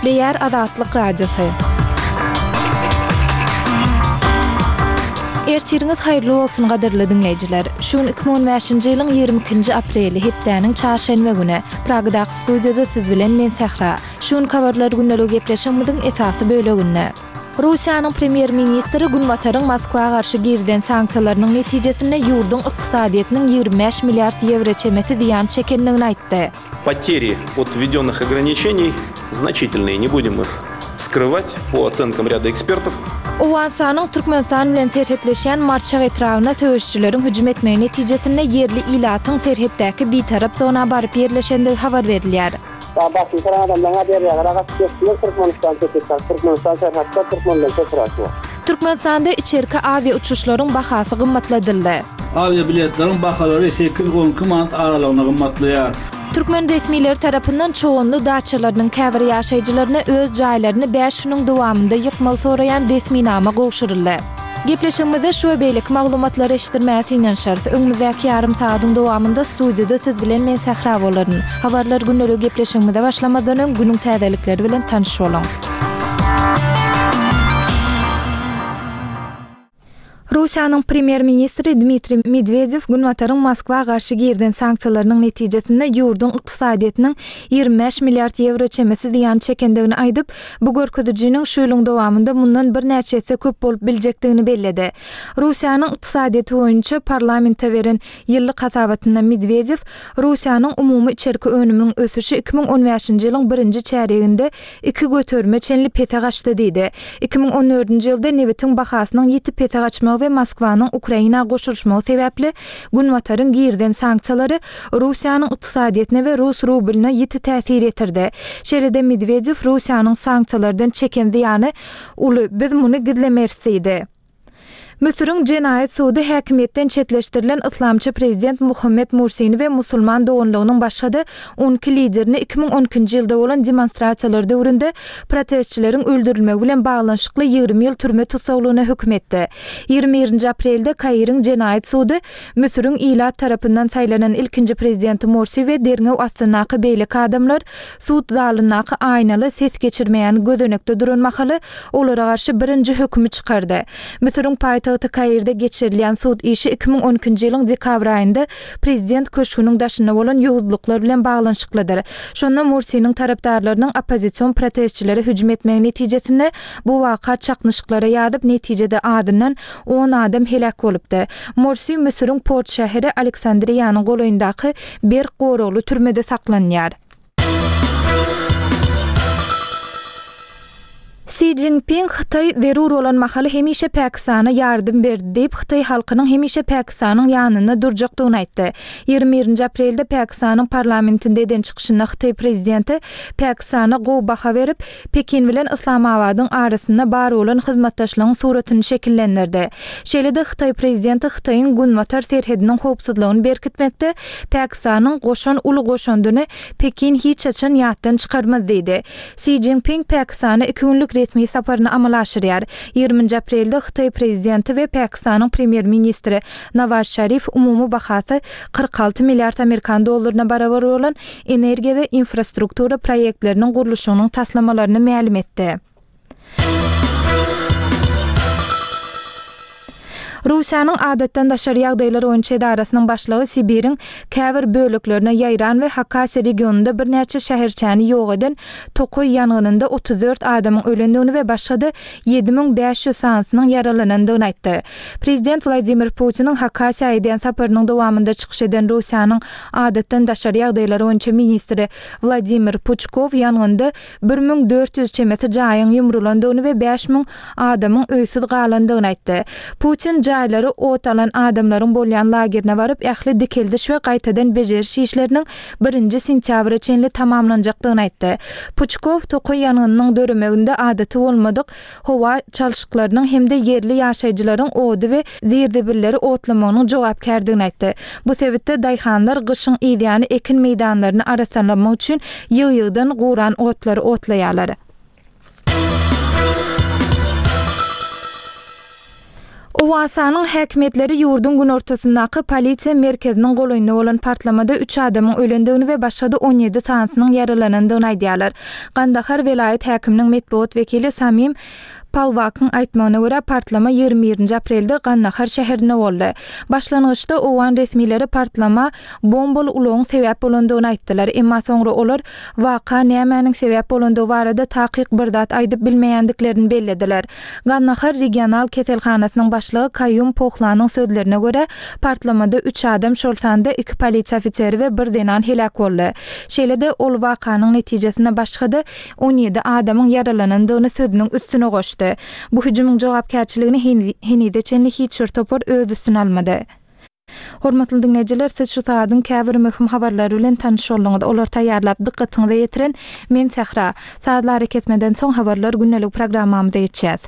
Gepleýär Azatlyk Radiosy. Ertiriňiz haýyrly bolsun gadyrly diňleýjiler. Şu gün 2015-nji ýylyň 22-nji apreli, hepdäniň çarşenbe güni. Pragadaky studiýada siz bilen men Sähra. Şu günki habarlar gündeligi gepleşigimiziň esasy böleginde. Russiýanyň premýer-ministri Günbataryň Moskwa garşy girizen sanksiýalarynyň netijesinde ýurduň ykdysadyýetiniň 25 milliard ýewro çemesi zyýan çekendigini aýtdy. Poteri ot wwedennych ograniçeniý znaçitelnyý, ne budem ih skrywać, po osenkom rýada ekspertow. Owganystanyň Türkmenistan bilen serhetleşýän Marçak etrabyna söweşijileriň hüjüm etmegi netijesinde ýerli ilatyň serhetdäki bitarap zona baryp ýerleşendigi habar berilýär. Başyny soran adamlaryň a derýalara gaçyp geçdiler Türkmenistan çetde Türkmenistan serhatda Türkmenler köpräk bar. Türkmenistanda içerki awia uçuşlaryň bahasy gymmatladyldy. Awiabiletleriň bahalary sekiz, 12 manat aralygynda gymmatlaýar. Türkmen resmileri tarapyndan Çoganly daçalarynyň käbir ýaşaýjylaryna öz jaýlaryny bäş günüň dowamynda ýykmagy soraýan resminama gowşuryldy. Gepleşigimizde şu we beýleki maglumatlary eşitdirmäge synanyşarys. Öňümizdäki ýarym sagadyň dowamynda studiýada siz bilen men Sähra bolaryn. Habarlar gündeligi gepleşigimize başlamazdan öň günüň täzelikleri bilen tanyş boluň. Russiýanyň premýer-ministri Dmitriý Medwedew Günbataryň Moskwa garşy girizen sanksiýalarynyň netijesinde ýurduň ykdysadyýetiniň 25 milliard ýewro çemesi zyýan çekendigini aýdyp, bu görkezijiniň şu ýylyň dowamynda mundan birnäçe esse köp bolup biljekdigini belledi. Russiýanyň ykdysadyýeti boýunça parlamente beren ýyllyk hasabatynda Medwedew Russiýanyň umumy içerki önüminiň ösüşi 2015-nji ýylyň birinji çärýeginde iki göterime çenli pese gaçdy diýdi. 2014-nji ýylda nebitiň bahasynyň ýiti pese gaçmagy we Moskwanyň Ukraina goşulyşmagy sebäpli Günbataryň girizen sanksiýalary Russiýanyň ykdysadyýetine we rus rublyna ýiti täsir ýetirdi. Şeýle-de Medwedew Russiýanyň sanksiýalardan çeken zyýany uly, biz muny gizlemeris diýdi. Müsüriň jenaýat sudy häkimiýetden çetleşdirilen yslamçy prezident Muhammed Mursini we Musulman doganlygynyň başga-da 12 liderini 2012-nji ýylda bolan demonstrasiýalar döwründe protestçileriň öldürilmegi bilen baglanyşykly 20 ýyl türme tussaglygyna höküm etdi. 21-nji aprelde Kairiň jenaýat sudy Müsüriň ilat tarapyndan saýlanan ilkinji prezidenti Mursi we derňew astyndaky beýleki adamlar sud zalyndaky aýnaly ses geçirmeýän gözenekde duran mahaly olara garşy birinji hökümi çykardy. Müsüriň paýtagty Kairde geçirilýän sud işi 2012-nji ýylyň dekabr aýynda prezident köşgüniň daşynda bolan ýowuzlyklar bilen baglanyşyklydyr. Şonda Mursiniň tarapdarlarynyň oppozision protestçilere hüjüm etmegi netijesinde bu waka çaknyşyklara ýazyp, netijede azyndan on adam heläk bolupdy. Morsi Müsüriň port şäheri Aleksandriýanyň golaýyndaky berk goragly türmede saklanýar. Si Szinpin Hytaý zerur bolan mahaly hemişe Pakistana ýardam berdi diýip, hytaý halkynyň hemişe Pakistanyň ýanynda durjakdygyny aýtdy. 21-nji aprelde Pakistanyň parlamentinde eden çykyşynda hytaý prezidenti Pakistana gowy baha berip, Pekin bilen Yslamabadyň arasynda bar bolan hyzmatdaşlygyň suratyny şekillendirdi. Şeýle-de hytaý prezidenti Hytaýyň günbatar serhediniň howpsuzlygyny berkitmekde Pakistanyň goşan uly goşandyny Pekin hiç haçan ýatdan çykarmaz diýdi. Si Szinpin Pakistana iki günlük resmi saparyny amala aşyrýar. Ýigriminji aprelde hytaý prezidenti we Pakistanyň premýer-ministri Nawaz Şarif umumy bahasy 46 milliard amerikan dollaryna barabar bolan energiýa we infrastruktura proýektleriniň gurluşygynyň taslamalaryny mälim etdi. Russiýanyň Adatdan daşary ýagdaýlar boýunça edarasynyň başlygy Sibiriň käbir böleklerine ýaýran we Hakasiýa regionynda birnäçe şäherçäni ýok eden tokaý ýangynynda 34 adamyň ölendigini we başga-da 7500 sanysynyň ýaralanandygyny aýtdy. Prezident Wladimir Putiniň Hakasiýa edýän saparynyň dowamynda çykyş eden Russiýanyň Adatdan daşary ýagdaýlar boýunça ministri Wladimir Puçkow ýangynda 1400 çemesi jaýyň ýumrulandygyny we 5000 adamyň öýsüz galandygyny aýtdy. Putin jaýlary ot alan adamlaryň bolýan lagerine baryp, ähli dikeldiş we gaýtadan bejeriş işleriniň birinji sentýabra çenli tamamlanjakdygyny aýtdy. Puçkow tokaý ýangynynyň döremeginde adaty bolmadyk howa çalşyklarynyň hem-de ýerli ýaşaýjylaryň ody we zir-zibilleri otlamagynyň jogapkärdigini aýtdy. Bu sebitde daýhanlar gyşyň yzýany ekin meýdanlaryny arassalamak üçin ýygy-ýygydan guran otlary otlaýarlar. Owganystanyň häkimiýetleri ýurduň günortasyndaky polisiýa merkeziniň golaýynda bolan partlamada üç adamyň ölendigini we başga-da 17 sanysynyň ýaralanandygyny aýdýarlar. Gandahar welaýat häkiminiň metbugat wekili Samim Palwakyň aýtmagyna görä, partlama 21-nji aprelde Gandahar şäherinde boldy. Başlangyçda owgan resmileri partlama bombaly ulagyň sebäp bolandygyny aýtdylar. Emma soňra olar waka nämäniň sebäp bolandygy barada takyk bir zat aýdyp bilmeýändiklerini bellediler. Gandahar regional keselhanasynyň başlygy Kaýum Pohlanyň sözlerine görä, partlamada üç adam, şol sanda iki polisiýa ofiseri we bir zenan heläk boldy. Şeýle-de, ol wakanyň netijesinde başga-da 17 adamyň ýaralanandygyny sözüniň üstüne goşdy. Bu hüjümiň jogapkärçiligini henize çenli hiç bir topar öz üstüne almady. Hormatly diňleýjiler, siz şu sagadyň käbir möhüm habarlary bilen tanyş bolduňyz. Olary taýýarlap, dykgatyňyza ýetiren men Sähra. Sazly arakesmeden soň Habarlar gündelik programmamyza geçýäs.